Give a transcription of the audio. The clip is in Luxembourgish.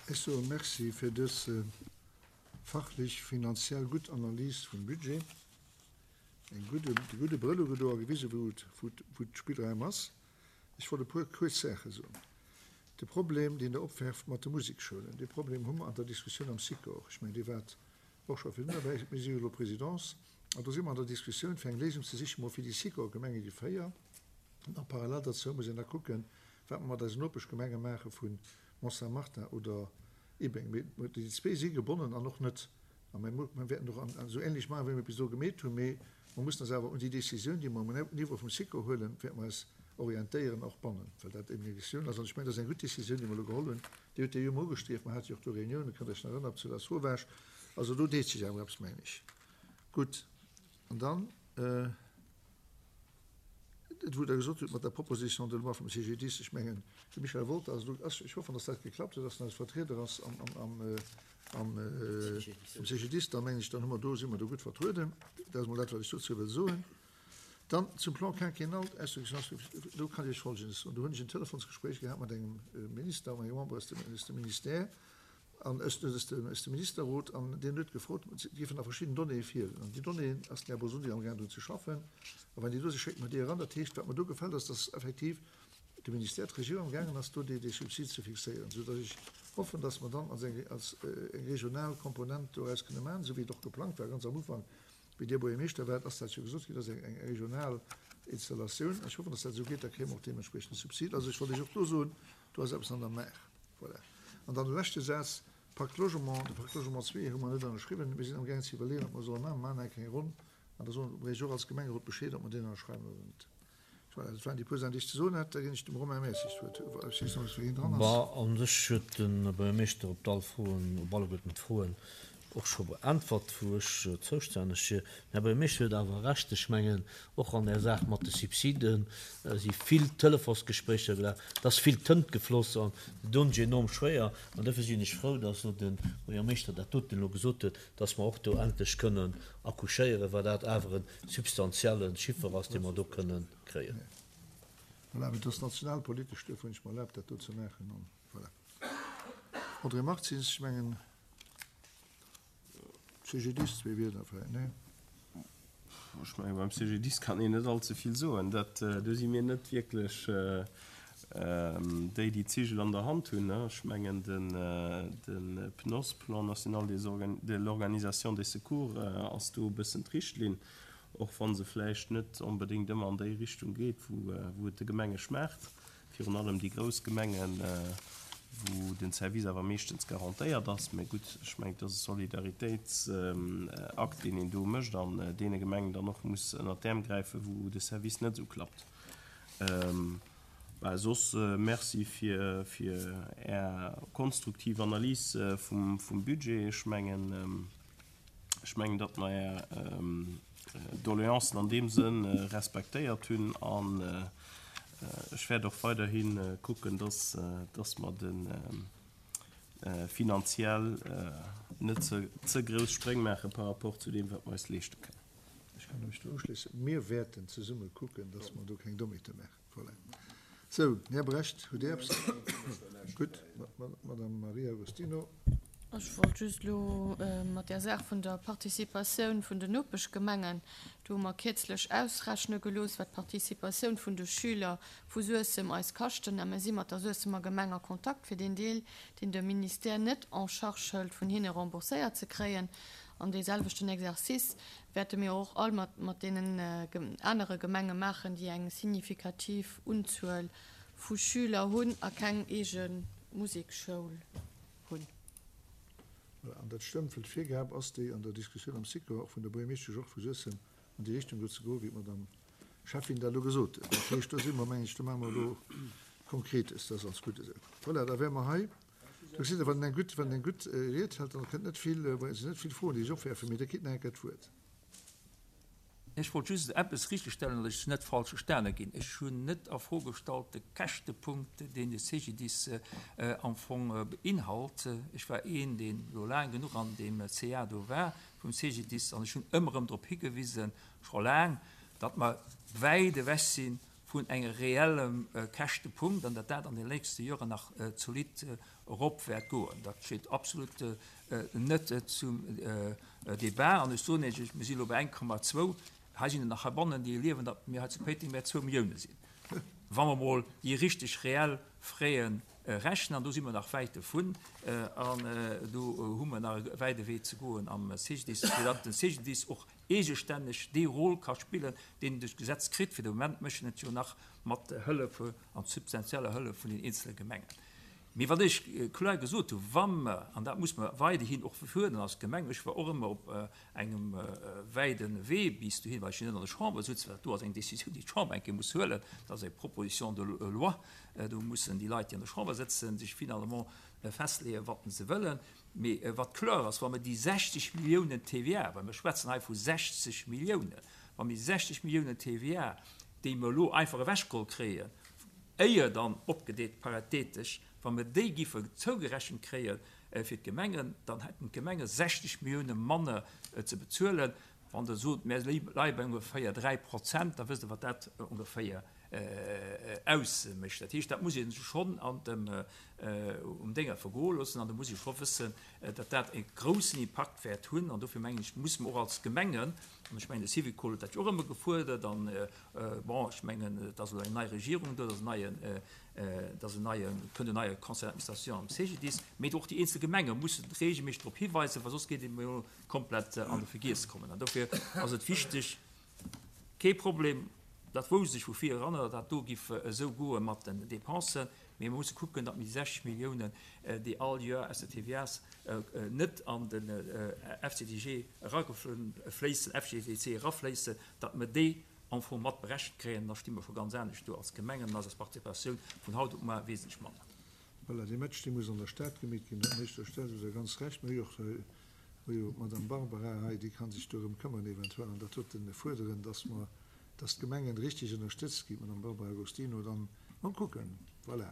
Ech soe Merci fir dës fachlech, finanziell gutt Analys vum Budget. Eng gudde, de gudde Brëll ugedo a gewise wou et, wou wou d'Spillraim ass. Ech wollt e puer kuerz Saache soen. De Problem, deen Der opwerft mat de Musekschoulen, dee Problem hu mer an der Diskussioun am Sikor. Ech mengen, Dir waart och scho virdrun derbäi. Mir si jo elo Présidence an do si mer an der Diskussioun, fir eng Léisung ze sichen, mol fir déi Sikor-Gemengen, déi 4. An parallel derzou muss een da kucken, wat mer mat eisen Nopeschgemenge maache vu Mont-Saint-Martin oder Ibeng. Mee déi zwee si gebonnen an och net. A mir wäerten och esou ähnlech maachen, wéi mir et bis elo gemeet hunn. Mee mer mussen eis awer un déi Décisioun, déi mer um Niveau vum Sikor huelen, wäerte mer eis orientéieren, och bannen, well dat eben eng Décisioun ass. An ech mengen, dat ass eng gutt Décisioun, déi mer elo geholl hunn. Dir hutt déi jo emol ugestriift. Mer hate jo och do Reuniounen, kënnt Iech nach erënneren, zu Lasauvage. Also do deet sech awer eppes, mengen ech. Gutt. An dann. Dat, wou Der gesot hutt mat der Proposition de loi vum CGDIS, ech mengen, de Michel Wolter ass elo, ech hoffen, datt dat geklappt huet, datt en eise Vertrieder ass am CGDIS, da mengen ech, dann hu mer do, si mer do gutt vertrueden. Dat ass emol dat, wat ech dozou wëll soen. Dann zum Plan quinquennal, do kann ech Iech Folgendes soen, Do hunn ech en Telefonsgespréich gehat mat engem Minister, mat engem Member aus dem Ministère, An ech, dat ass de, ass de Ministerrot, an deen huet gefrot, et géifen nach verschidden Donnéeë feelen. An déi Donnéeën ass den Här Bosundi amgaang drun ze schaffen. A wann déi do sinn, schéckt mer déi eran. Dat heescht, wat mer do gefält ass, dass effektiv de Ministère, d'Regierung amgaangen ass, do déi, déi Subside ze fixéieren, soudass ech hoffen, dass mer dann als eng, als eng regional Komponent doraus kënne maachen, esou wéi et och geplangt war ganz am Ufank, wéi Dir Buergermeeschter waart, ass dat jo gesot ginn, dass eng, eng regional Installatioun. Ech hoffen, dass dat esou geet, da kréie mer och deementspriechend Subside. Also ech wollt Iech och do soen, do ass eppes an der Maach. Voilà. An dann de leschte Saz, Pacte Logement. De Pacte Logement 2 hu mer net ënnerschriwwen. Mir sinn amgaangen ze iwwerleeën, ob mer e solle maachen. Mer maachen eng kleng Ronn an da soen mer Iech och als Gemengerot Bescheed, ob mer deen ënnerschreiwen oder net. Voilà, dat waren déi puer Saachen, déi ech ze soen hat. Da ginn ech dem Romain Mertzig d'Wuert. Ech weess net, ob hien dran ass. Bah, u sech huet de Buergermeeschter op all Froen, op alleguerten d'Froen och scho beäntwert, wou ech zoustänneg wier. Den Här Buergermeeschter huet awer Recht. Ech mengen, och an där Saach mat de Subside si vill Telefonsgespréicher gelaf, et ass vill Tënt gefloss an se doen sech enorm schwéier. An dofir sinn ech frou, dass elo de Buergermeeschter dat doten elo gesot huet, dass mer och do endlech kënnen accouchéieren, well dat awer e substantielle Chiffer ass, dee mer do kënnen kréien. Voilà, mee et ass nationalpolitesch, duerfir hunn ech mer erlaabt, dat do ze maachen. An voilà. André Martins, ech mengen. CGDIS, zwee Wierder vläicht, nee? Ech mengen, beim CGDIS kann een net all ze vill soen. Dat, do si mir net wierklech déi, déi d'Zigel an der Hand hunn. Ech mengen, de PNOS, Plan national des de l'organisation des secours, ass do e bëssen d'Richtlinn, och wa se vläicht net onbedéngt ëmmer an déi Richtung geet, wou et de Gemenge schmaacht. Virun allem déi grouss Gemengen, wou den Service awer meeschtens garantéiert ass. Mä gutt, ech mengen, et ass e Solidaritéitsakt, deen een do mécht an deene Gemengen dann och muss ënnert d'Äerm gräifen, wou de Service net esou klappt. Bah, soss Merci fir Är konstruktiv Analys vum Budget. Ech mengen, Ech mengen, datt mer Är Doleancen an deem Sënn respektéiert hunn an ech wäert och weiderhi kucken, datt, datt mer de finanziell net ze grouss Spréng maache par rapport zu deem, wat mer eis leeschte kënnen. Ech kann mech do uschléissen. Mir wäerten zesumme kucken, datt mer do keng Dommheete maachen. Voilà. Sou, Här Brecht, hutt Dir eppes? Gutt, Madame Maria Agostino. Ech wollt just elo mat där Saach vun der Participatioun vun den Nopeschgemengen, do hu mer kierzlech ausrechne gelooss, wat d'Participatioun vun de Schüler vu Suessem eis kaschten. A mir si mat der Suessemer Gemeng a Kontakt, fir deen Deel, deen de Ministère net en charge hëlt, vun hinne rembourséiert ze kréien. An deeselwechten Exercice wäerte mir och all mat mat deenen anere Gemenge maachen, déi eng signifikativ Unzuel vu Schüler hunn a keng eege Musekschoul hunn. Voilà, an dat stëmmt, well d'Virgab ass déi an der Diskussioun am Sikor, och vun der Buergermeeschtesch, och vu Suessem, an déi Richtung do ze goen, wéi d'Madame Schäffin dat elo gesot huet. Dat heescht, do si mer, meng ech, do maache mer elo Konkretes, dat ass ganz gutt esou. Voilà, da wäre mer hei. Do gesitt Der, wann een eng gutt, wann een eng gutt Ried hält, dann kënnt net vill, et sinn net vill Froen, déi sech opwerfen, mee Der kritt nach eng Kéier d'Wuert. Ech wollt just eppes richtegstellen, datt ech net falsch verstane ginn. Ech hunn net a Fro gestallt de Käschtepunkt, deen de CGDIS am Fong beinhalt. Ech war een, deen elo laang genuch an deem CA do war vum CGDIS, an ech hunn ëmmer erëm drop higewisen, scho laang, datt mer wäit ewech si. vun engem reellem Käschtepunkt an datt dat an den nächste Joren nach zolidd erop wäert goen. Dat steet absolut net zum Débat. An ech soen Iech, mir si elo bei 1,2. Hei sinn der nach heibannen, déi erliewen, datt mir hei zu Péiteng bei zwou Millioune sinn, wa mer emol déi richteg reell Fräe rechnen. An do si mer nach wäit dovun. An do hu mer nach e wäide Wee ze goen am CGDIS, fir datt de CGDIS och eegestänneg dee Rôle ka spillen, deen en duerch d'Gesetz kritt. Fir de Moment mécht en et jo nach mat Hëllef an substanzieller Hëllef vun den eenzele Gemengen. Mee wat ech kloer gesot hu, wa mer, an dat muss mer weiderhin och fuerderen als Gemeng, ech war och ëmmer op engem wäide Wee bis dohin, well ech jo net an der Chamber sutz, well dat do ass eng Décisioun, déi d'Chamber eng Kéier muss huelen, dat ass eng Proposition de loi, do mussen déi Leit, déi an der Chamber sëtzen, sech finalement festleeën, wat se wëllen. Mee wat kloer ass, wa mer déi 60 Milliounen TVA, well mer schwätzen hei vu 60 Milliounen, wa mir déi 60 Milliounen TVA, déi mer elo einfach ewechgeholl kréien, éier dann opgedeelt paritétesch, wa mer déi giffe zougerechent kréie fir d'Gemengen, dann hätten d'Gemenge 60 Millioune manner ze bezuelen. Wann Der sot, mir leie bei ongeféier 3%, da wësst Der, wat dat ongeféier ausmécht. Dat heescht, dat muss ee sech schonn an dem, um Dénger vergoe loossen an do muss ee scho wëssen, datt dat e groussen Impakt wäert hunn. An dofir mengen ech, musse mer och als Gemengen, an ech mengen de Syvicol huet dat jo och ëmmer gefuerdert, an bon, ech mengen, et ass elo eng nei Regierung do, et ass en neien, et ass en neien, kënnt en neie Conseil d'administration am CGDIS, mee och déi eenzel Gemenge mussen reegelméisseg drop hiweisen, well soss geet ee jo komplett an de Vergiess kommen. An dofir ass et wichteg, Kee Problem, dat wousst ech vu vir eran, datt dat do giff esou goe mat den Dépensen, mee mir musse kucken, datt mir déi 60 Milliounen, déi all Joer aus der TVA net an den FCTG erafléissen, FGTC erafléissen, datt mir déi am Fong mat berechent kréien. Da sti mer scho ganz anescht do als Gemengen an ass eis Participatioun vun haut op muar wesentlech manner. Voilà, dee Match, dee muss an der Stad gemeet ginn, dat mécht der Stad, hutt Der ganz Recht. Mir hu jo och Hu jo d'Madame Barbara hei, déi ka sech dorëm këmmern eventuell an dat doten fuerderen, dass mer, dass d'Gemengen richtig ënnerstëtzt ginn. D'Madame Barbara Agostino dann. Mol kucken. Voilà.